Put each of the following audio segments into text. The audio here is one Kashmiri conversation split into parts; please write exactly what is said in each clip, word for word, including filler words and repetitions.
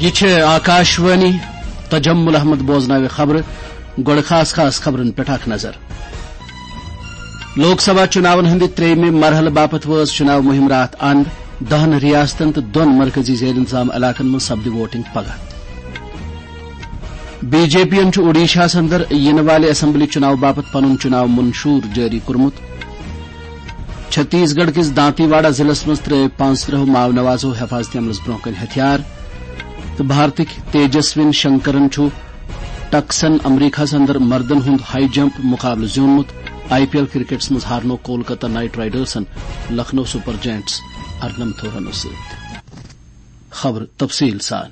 یہِ چھِ آکاشوانی۔ تجمل احمد بوزناوِ خبرٕ۔ گۄڈٕ خاص خاص خبرن پٮ۪ٹھ اکھ نظر۔ لوک سبھا چُناون ہٕنٛدِ ترٛیٚیِمہِ مرحلہٕ باپتھ وٲژ چُناو مُہِم راتھ اند۔ دَہن ریاستن تہٕ دۄن مرکزی زیر انتظام علاقن منٛز سپدِ ووٹنگ پگاہ۔ بی جے پی یَن چھُ اوڈیشاہَس اندر یِنہٕ والہِ اسمبلی چُناو باپتھ پنُن چُناو منشور جٲری کوٚرمُت۔ چھتیس گڑھ کِس دانتی واڑہ ضلعس منٛز ترٲوۍ پانٛژترٕٛہو ماؤ نوازو حفاظتی عملس برونٛہہ کنہِ ہتھیار۔ تہٕ بھارتٕکۍ تیجسوین شنکرن چھُ ٹکسن امریکہس اندر مردن ہُنٛد ہائی جمپ مقابلہٕ زیوٗنمُت۔ آئی پی ایل کرکٹس منٛز ہارنوو کولکتہ نائٹ رائیڈرسن لکھنؤ سپر جائنٹس ارنمتھو رنو سۭتۍ۔ خبر تفصیل سان۔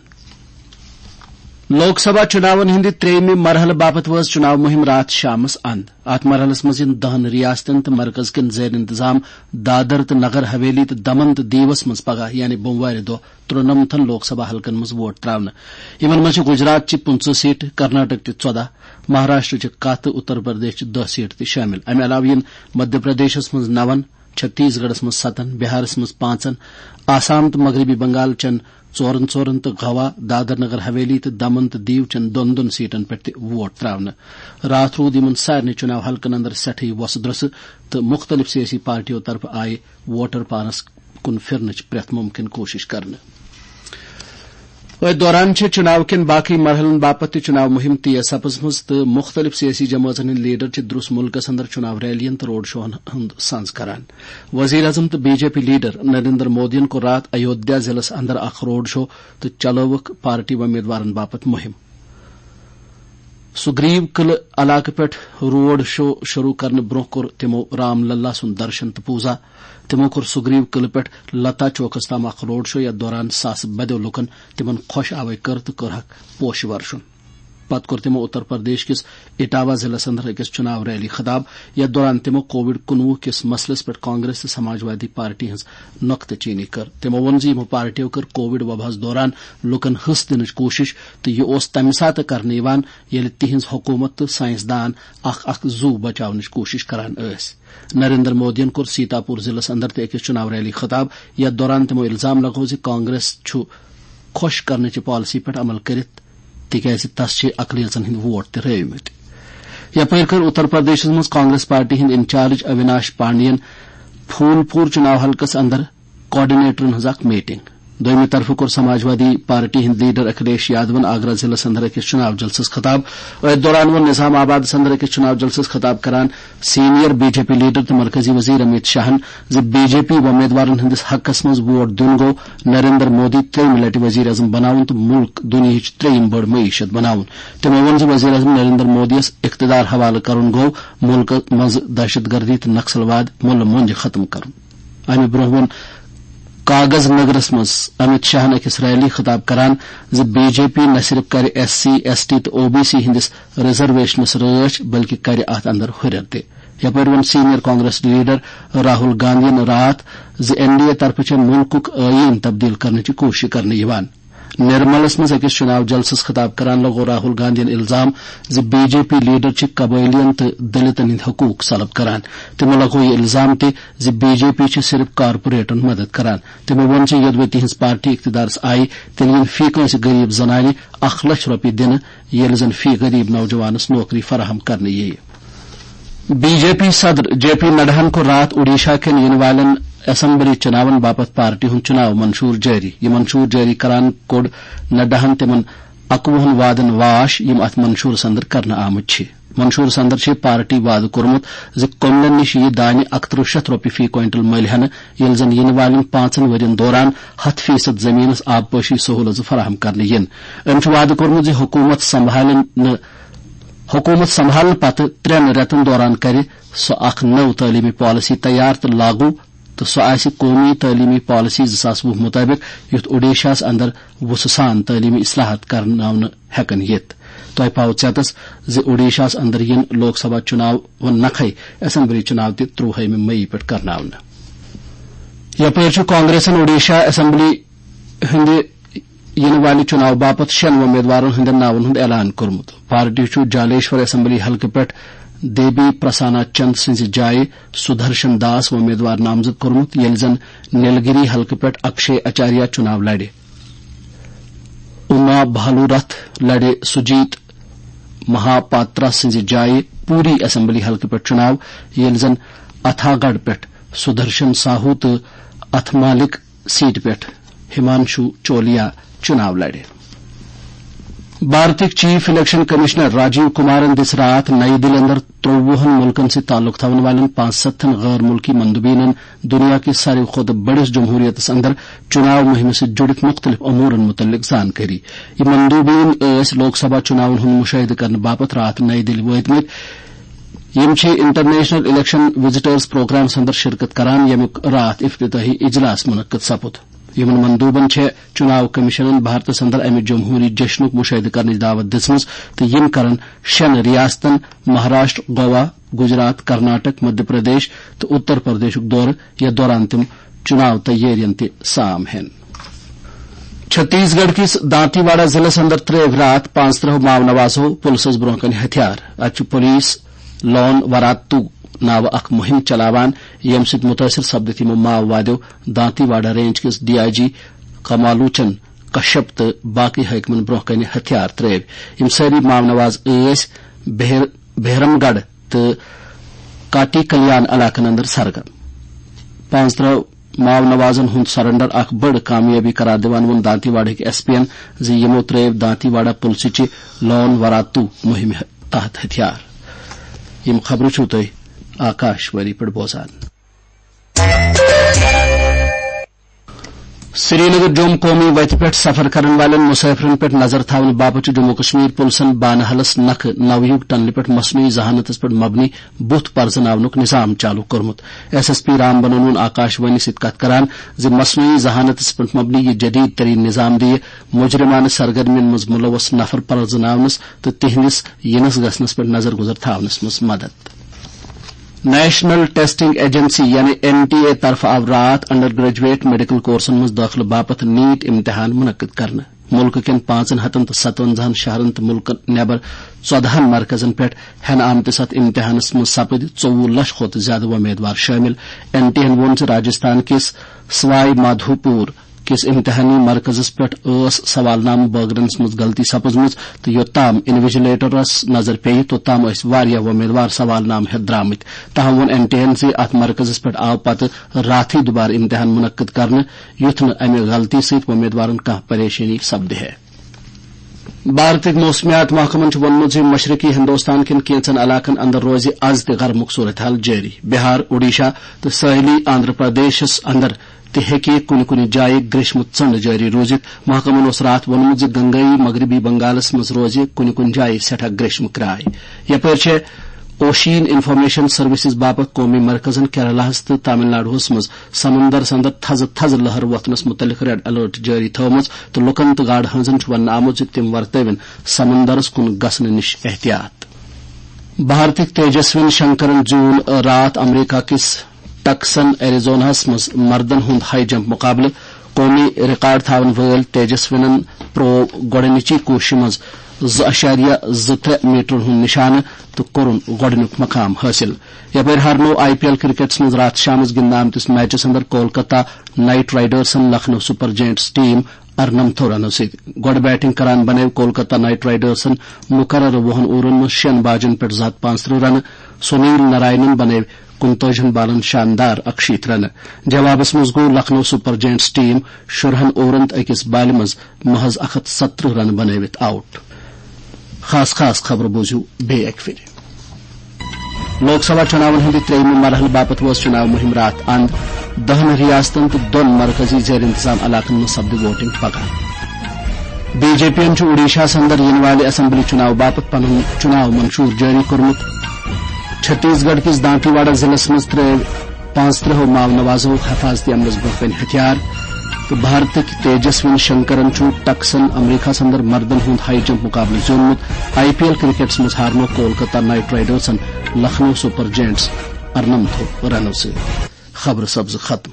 لوک سبھا چُناون ہٕنٛدِ ترٛیٚیِمہِ مرحلہٕ باپتھ وٲژ چُناو مُہِم راتھ شامس اند۔ اتھ مرحلس منٛز یِن دَہن ریاستن تہٕ مرکز کٮ۪ن زیر انتظام دادر تہٕ نگر حویلی تہٕ دمن تہٕ دیوس منٛز پگاہ، یعنی بوموارِ دۄہ، ترُنمتھن لوک سبھا حلقن منٛز ووٹ تراونہٕ۔ یِمن منٛز چھِ گجرات چہِ پٕنٛژٕہ سیٹہٕ، کرناٹک چہِ ژۄدہ، مہاراشٹر چہِ کاہ تہٕ اتر پردیش چہِ دَہ سیٹہٕ تہِ شٲمِل۔ امہِ علاوٕ یِن مدھیہ پردیشس منٛز نَون، چھتیس گڑھس منٛز ستن، بہارس منٛز پانٛژن، آسام تہٕ مغربی بنگال چٮ۪ن ژورن ژورن تہٕ گوا، دادر نگر حویلی تہٕ دمن تہٕ دیو چٮ۪ن دۄن دۄن سیٹن پٮ۪ٹھ تہِ ووٹ تراونہٕ۔ راتھ روٗد یِمن سارنٕے چُناو حلقن اندر سٮ۪ٹھٕے وۄسہٕ درۄسہٕ تہٕ مُختٔلِف سیٲسی پارٹیو طرفہٕ آیہِ ووٹر پانس کُن پھِرنٕچ پرٛٮ۪تھ مُمکِن کوٗشِش کرنہٕ۔ أتھۍ دوران چھِ چُناو کٮ۪ن باقٕے مرحلن باپتھ تہِ چُناو مُہِم تیز سپٕزمٕژ تہٕ مُختٔلِف سیٲسی جمٲژن ہٕنٛدۍ لیڈر چھِ درُس مُلکس اندر چُناو ریلین تہٕ روڈ شوہن ہُنٛد سنز کران۔ وزیر اعظم تہٕ B J P leader Narendra مودیَن کوٚر راتھ ایودھیا ضلعس اندر اکھ روڈ شو تہٕ چلٲوٕکھ پارٹی وۄمیدوارن باپتھ مُہِم۔ سُگریو قلعہٕ علاقہٕ پٮ۪ٹھ روڈ شو شروع کرنہٕ برونٛہہ کوٚر تِمو رام للا سُنٛد درشن تہٕ پوٗزا۔ تِمو کوٚر سُگریو قلعہٕ پٮ۪ٹھ لتا چوکس تام اکھ روڈ شو، یتھ دوران ساسہٕ بدیو لوٗکن تِمن خۄش آوے کٔر تہٕ کوٚرہکھ پوشہٕ ورشُن۔ پتہٕ کوٚر تِمو اتر پردیش کِس اٹاوا ضلعس اندر أکِس چُناو ریلی خطاب، یتھ دوران تِمو کووڈ کُنوُہ کِس مسلس پٮ۪ٹھ کانگریس تہٕ سماجوادی پارٹی ہٕنٛز نۄقطہٕ چینی کٔر۔ تِمو ووٚن زِ یِمو پارٹیو کٔر کووڈ وباہس دوران لوٗکن حصہٕ دِنٕچ کوٗشش تہٕ یہِ اوس تمہِ ساتہٕ کرنہٕ یِوان، ییٚلہِ تِہنٛز حکوٗمت تہٕ ساینسدان اکھ اکھ زُو بچاونٕچ کوٗشش کران ٲسۍ۔ نریندر مودیَن کوٚر سیتاپور ضلعس اندر تہِ أکِس چُناو ریلی خطاب، یتھ دوران تِمو الزام لگوو زِ کانگریس چھُ خۄش کرنٕچہِ پالیسی پٮ۪ٹھ عمل کٔرِتھ، تِکیازِ تس چھِ اقلیژن ہٕنٛدۍ ووٹ تہِ رٲومٕتۍ۔ یپٲرۍ کٔر اتر پردیشس منٛز کانگریس پارٹی ہٕنٛدۍ انچارج اویناش پانڈین پھول پور چُناو حلقس اندر کوآرڈینیٹرن ہٕنٛز اکھ میٹنگ۔ دوٚیمہِ طرفہٕ کوٚر سماجوادی پارٹی ہٕنٛدۍ لیڈر اکھلیش یادون آگرہ ضلعس اندر أکِس چُناو جلسس خطاب۔ أتھۍ دوران ووٚن نظام آبادس اندر أکِس چُناو جلسس خطاب کران senior B J P leader تہٕ مرکزی وزیر امیت شاہن زِ بی جے پی وۄمیدوارن ہٕنٛدِس حقس منٛز ووٹ دیُن گوٚو نریندر مودی ترٛیٚیِمہِ لٹہِ وزیر اعظم بناوُن تہٕ مُلک دُنیاہٕچ ترٛیٚیِم بٔڑ معیشت بناوُن۔ تِمو ووٚن زِ وزیر اعظم نریندر مودیَس اقتدار حوالہٕ کرُن گوٚو مُلکہٕ منٛزٕ دہشت گردی تہٕ نکسلواد مُلہٕ مۄنجہِ ختم کرُن۔ امہِ برونٛہہ ووٚن کاغذ نگرس منٛز امت شاہن أکِس ریلی خطاب کران زِ بی جے پی نہ صرف کرِ ایس سی، ایس ٹی تہٕ او بی سی ہٕنٛدِس ریزرویشنس رٲچھ، بلکہِ کرِ اتھ اندر ہُرٮ۪ر تہِ۔ یپٲرۍ ووٚن سینئر کانگریس لیڈر راہل گاندھین راتھ زِ این ڈی اے طرفہٕ چھےٚ مُلکُک ٲییٖن تبدیل کرنٕچ کوٗشش کرنہٕ یِوان۔ نرملس منٛز أکِس چُناو جلسس خطاب کران لگوو راہل گاندھین الزام زِ بی جے پی لیڈر چھِ قبٲئلیَن تہٕ دلتن ہٕنٛدۍ حقوٗق سلب کران۔ تِمو لگوو یہِ الزام تہِ زِ بی جے پی چھِ صرف کارپوریٹن مدد کران۔ تِمو ووٚن زِ یوٚدوَے تِہنٛز پارٹی اقتدارس آیہِ، تیٚلہِ یِن فی کٲنٛسہِ غریب زنانہِ اکھ لچھ رۄپیہِ دِنہٕ، ییٚلہِ زن فی غریب نوجوانس نوکری فراہم کرنہٕ یِیہِ۔ بی جے پی صدر جے پی نڈاہن کوٚر راتھ اوڈیشہ کٮ۪ن یِنہٕ والٮ۪ن اسمبلی چُناون باپتھ پارٹی ہُنٛد چُناو منشور جٲری۔ یہِ منشور جٲری کران کوٚڑ نڈاہن تِمن اَکوُہن وعدن واش، یِم اتھ منشورس اندر کرنہٕ آمٕتۍ چھِ۔ منشورس اندر چھِ پارٹی وعدٕ کوٚرمُت زِ کۄملن نِش یِیہِ دانہِ اکترٕہ شیٚتھ رۄپیہِ فی کوینٹل مٔلۍ ہٮ۪نہٕ، ییٚلہِ زن یِنہٕ والٮ۪ن پانٛژن ؤرین دوران ہتھ فیصد زٔمیٖنس آبپاشی سہوٗلژٕ فراہم کرنہٕ یِن۔ أمۍ چھُ وعدٕ کوٚرمُت زِ حکوٗمت سنبھالن نہٕ، حکوٗمت سنبھالنہٕ پتہٕ ترٛٮ۪ن رٮ۪تن دوران کرِ سُہ اکھ نٔو تعلیمی پالیسی تیار تہٕ لاگو، تہٕ سُہ آسہِ قومی تعلیمی پالیسی زٕ ساس وُہ مُطٲبِق، یُتھ اوڈیشاہَس اندر وُژھٕ سان تعلیمی اصلاحات کرناونہٕ ہٮ۪کن یِتھ۔ تۄہہِ پاوٕ ژٮ۪تس زِ اوڈیشاہَس اندر یِن لوک سبھا چُناون نکھے اسمبلی چُناو تہِ ترٛوہٲیمہِ مئی پٮ۪ٹھ کرناونہٕ۔ یپٲرۍ چھُ کانگریسن اوڈیشہ اسمبلی ہٕنٛدِ یِنہٕ والہِ چُناو باپتھ شٮ۪ن وۄمیدوارن ہٕنٛدٮ۪ن ناون ہُنٛد اعلان کوٚرمُت۔ پارٹی چھُ جالیشور اسمبلی حلقہٕ پٮ۪ٹھ دیبی پرسانا چند سٕنٛزِ جایہِ سدھرشن داس وۄمیدوار نامزد کوٚرمُت، ییٚلہِ زن نیلگری حلقہٕ پٮ۪ٹھ اکشے آچاریہ چُناو لڑِ۔ آ بھالو رتھ لڑِ سجیت مہاپاترا سٕنٛزِ جایہِ پوٗری اسمبلی حلقہٕ پٮ۪ٹھ چُناو، ییٚلہِ زن اتھاگڑھ پٮ۪ٹھ سدرشن ساہو تہٕ اتھ مالک سیٹہِ پٮ۪ٹھ ہمانشو چولیا چُناو لڑِ۔ بھارتٕکۍ چیف الیکشن کمشنر راجیو کمارن دِژ راتھ نَیہِ دِلہِ اندر ترٛۆوُہن مُلکن سۭتۍ تعلق تھاون والٮ۪ن پانٛژستتھن غٲر مُلکی مندوبینن دُنیا کِس ساروی کھۄتہٕ بٔڑِس جمہوریتس اندر چُناو مُہِمہِ سۭتۍ جُڑِتھ مُختٔلِف امورن مُتعلق زانکٲری۔ یِم مندوبین ٲسۍ لوک سبھا چُناون ہُنٛد مُشاہدٕ کرنہٕ باپتھ راتھ نَیہِ دِلہِ وٲتمٕتۍ۔ یِم چھِ انٹرنیشنل الیکشن وزٹرز پروگرامس اندر شرکت کران، ییٚمیُک راتھ افتتاحی اجلاس منعقد سپُد۔ یِمن مندوبن چھےٚ چُناو کمیشنن بھارتس اندر امہِ جمہوری جشنُک مُشاہدٕ کرنٕچ دعوت دِژمٕژ تہٕ یِم کرن شٮ۪ن ریاستن مہاراشٹر، گوا، گجرات، کرناٹک، مدھیہ پردیش تہٕ اتر پردیشُک دورٕ، یتھ دوران تِم چُناو تیٲرین تہِ سام ہٮ۪ن۔ چھتیس گڑھ کِس دانتی واڑہ ضلعس اندر ترٲوۍ راتھ پانٛژترٕٛہ ماو نوازو پُلسس برونٛہہ کنہِ ہتھیار۔ اتہِ چھُ پُلیٖس لون وراتو ناوٕ اکھ مُہِم چلاوان، ییٚمہِ سۭتۍ مُتٲثِر سپدِتھ یِمو ماووادیو دانتی واڑہ رینج کِس ڈی آئی جی کمالوچن کشپ تہٕ باقٕے حٲکمن برونٛہہ کنہِ ہتھیار ترٲوۍ۔ یِم سٲری ماو نواز ٲسۍ بہر-، بہرم گڑھ تہٕ کاٹی کلیان علاقن اندر سرگرم۔ پانٛژترٕٛہ ماو نوازن ہُنٛد سرنڈر اکھ بٔڑ کامیٲبی قرار دِوان ووٚن دانتی واڑہٕکۍ ایس پی ین زِ یِمو ترٲوۍ دانتی واڑہ پُلسہٕ چہِ لون وراتو مُہِمہِ تحت ہتھیار۔ یِم خبرٕ چھِو تُہۍ آکاش وانی پٮ۪ٹھ بوزان۔ سرینگر جوم قومی وتہِ پٮ۪ٹھ سفر کرن والٮ۪ن مسافرن پٮ۪ٹھ نظر تھاونہٕ باپتھ چھُ جموں کشمیر پُلسن بانہالس نکھٕ نویوگ ٹنلہِ پٮ۪ٹھ مصنوعی ذہانتس پٮ۪ٹھ مبنی بُتھ پرزناونُک نظام چالو کوٚرمُت۔ ایس ایس پی رام بنن ووٚن آکاش وانی سۭتۍ کتھ کران زِ مصنوعی ذہانتس پٮ۪ٹھ مبنی یہِ جدید ترین نظام دِیہِ مجرمانہٕ سرگرمین منٛز ملوث نفر پرزناونس تہٕ تِہنٛدِس یِنس گژھنس پٮ۪ٹھ نظر گُزر تھاونس منٛز مدد۔ نیشنل ٹیسٹنگ ایجنسی یعنی این ٹی اے طرفہٕ آو راتھ انڈر گریجویٹ میڈیکل کورسن منٛز دٲخلہٕ باپتھ نیٹ امتحان منعقد کرنہٕ۔ مُلکہٕ کٮ۪ن پانٛژن ہتن تہٕ ستونزاہن شہرن تہٕ مُلکہٕ نٮ۪بر ژۄدہن مرکزن پٮ۪ٹھ ہٮ۪نہٕ آمتِس اتھ امتحانس منٛز سپٕدۍ ژوٚوُہ لچھ کھۄتہٕ زیادٕ وۄمیدوار شٲمِل۔ این ٹی اے ہن ووٚن زِ راجستھان کِس سوائی مادھوپور کِس امتحانی مرکزس پٮ۪ٹھ ٲس سوال نامہٕ بٲگرنس منٛز غلطی سپٕزمٕژ تہٕ یوٚتام انویجلیٹرس نظر پیٚیہِ، توٚتام ٲسۍ واریاہ وۄمیدوار سوال نامہٕ ہٮ۪تھ درامٕتۍ۔ تاہم ووٚن این ٹی اے ہن زِ اتھ مرکزس پٮ۪ٹھ آو پتہٕ راتھٕے دُبارٕ امتحان منعقد کرنہٕ، یُتھ نہٕ امہِ غلطی سۭتۍ وۄمیدوارن کانٛہہ پریشٲنی سپدِ ہے۔ بھارتٕکۍ موسمیات محکمن چھُ ووٚنمُت زِ مشرقی ہندوستان کٮ۪ن کینٛژن علاقن اندر روزِ از تہِ گرمُک صورتحال جٲری۔ بہار، اوڈیشہ تہٕ سٲحلی آندھرا پردیشس اندر تہِ ہیٚکہِ کُنہِ کُنہِ جایہِ گریشمہٕ ژٔنٛڈ جٲری روٗزِتھ۔ محکمن اوس راتھ ووٚنمُت زِ گنگٲیی مغربی بنگالس منٛز روزِ کُنہِ کُنہِ جایہِ سٮ۪ٹھاہ گریشمہٕ کرٛاے۔ یپٲرۍ چھےٚ اوشین انفارمیشن سروسز باپتھ قومی مرکزن کیرلاہس تہٕ تامل ناڈوہس منٛز سمندرس اندر تھزٕ تھزٕ لہر وۄتھنس مُتعلق ریڈ الرٹ جٲری تھٲومٕژ تہٕ لوٗکن تہٕ گاڈٕ ہٲنزن چھُ وننہٕ آمُت زِ تِم ورتٲوِن سمندرس کُن گژھنہٕ نِش احتیاط۔ بھارتٕکۍ تیجسوین شنکرن زیوٗن راتھ امریکہ کِس ٹکسن ایریزوناہس منٛز مردن ہُنٛد ہائی جمپ مقابلہٕ۔ قومی ریکارڈ تھاون وٲلۍ تیجسوینن پرٛوو گۄڈٕنِچی کوٗششہِ منٛز زٕ اَشاریہ زٕ ترٛےٚ میٹرن ہُنٛد نِشانہٕ تہٕ کوٚرُن گۄڈٕنیُک مقام حٲصِل۔ یپٲرۍ ہارنوو آئی پی ایل کرکٹس منٛز راتھ شامس گِنٛدنہٕ آمتِس میچس اندر کولکتہ نائٹ رائیڈرسن لکھنؤ سپر جائنٹس ٹیم ارنمتھو رنو سۭتۍ۔ گۄڈٕ بیٹنگ کران بنٲوۍ کولکتہ نائٹ رائیڈرسن مقررٕ وُہن اوورن منٛز شٮ۪ن باجن پٮ۪ٹھ زٕ ہتھ پانٛژترٕٛہ رنہٕ۔ سنیل ناراینن بنٲوۍ کُنتٲجِہن بالن شاندار اکشیٖتھ رنہٕ۔ جوابس منٛز گوٚو لکھنؤ سپر جائنٹس ٹیم شُرہن اوورن تہٕ أکِس بالہِ منٛز محض اکھ ہتھ ستترٕٛہ رنہٕ بنٲوِتھ آؤٹ۔ خاص خاص خبرٕ بوٗزِو بیٚیہِ اکہِ پھِرِ۔ لوک سبھا چُناون ہٕنٛدِ ترٛیٚیِمہِ مرحلہٕ باپتھ وٲژ چُناو مُہِم راتھ اند۔ دَہن ریاستن تہٕ دۄن مرکزی زیر انتظام علاقن منٛز سپدِ ووٹنگ پگاہ۔ بی جے پی ین چھُ اوڈیشاہس اندر یِنہٕ والہِ اسمبلی چُناو باپتھ پنُن چُناو منشور جٲری کوٚرمُت۔ چھتیس گڑھ کِس دانتی واڑہ ضلعس منٛز ترٲوۍ پانٛژترٕٛہو ماو نوازو حفاظتی عملس برونٛہہ کنہِ ہتھیار۔ تہٕ بھارتٕکۍ تیجسوین شنکرن چھُ ٹکسن امریکہس اندر مردن ہُنٛد ہائی جمپ مقابلہٕ زیوٗنمُت۔ آئی پی ایل کرکٹس منٛز ہارنوو کولکتہ نائٹ رائیڈرسن لکھنؤ سپر جائنٹس ارنمتھو رنو سۭتۍ۔ خبرٕ سپزٕ ختم۔